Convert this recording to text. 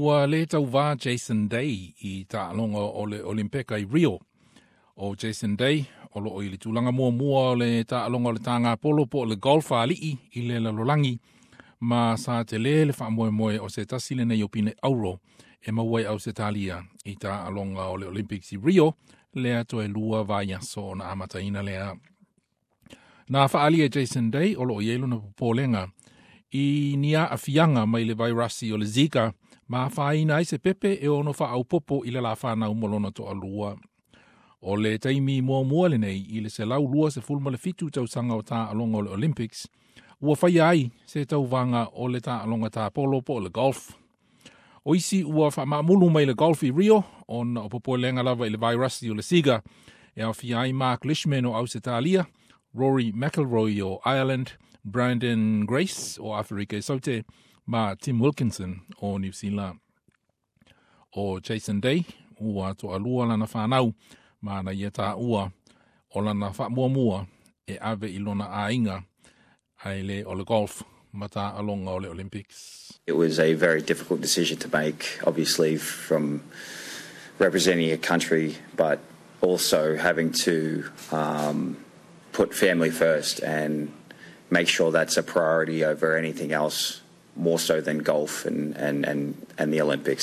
Ua le tauvā Jason Day i taaloga o le Olimpeka i Rio. ʻO Jason Day, o loo i le tulaga muamua o le taaloga o le tāgapolo po o le golf a alii i le lalolagi, ma sa tele le faamoemoe o se tasi lenei o pine auro e maua e Ausetalia i taaloga o le Olympics i Rio, lea toe 2 vaiaso ona amataina lea. Na faaalia e Jason Day o loo i ai lona popolega i ni aafiaga mai le vairasi o le Zika ma afaina ai se pepe e ono faaaupopo i le lafanau mo lona toalua. O le taimi muamua lenei i le 127 tausaga o taaloga o le Olympics, ua faia ai se tauvaga o le taaloga tapolo po o le golf. O isi ua faamaamulu mai le golf i Rio, ona o popolega lava i le vairasi o le Zika, e aofia ai Mark Leishman o Ausetalia, Rory McIlroy o Ireland, Brandon Grace o Aferika i Saute, ma Tim Wilkinson o Niu Sila. ʻO Jason Day, ua toalua lana fanau, ma na ia taua o lana faamuamua e ave i lona aiga, ae le o le golf ma taaloga o le Olympics. It was a very difficult decision to make, obviously, from representing a country, but also having to put family first and make sure that's a priority over anything else, more so than golf and the Olympics.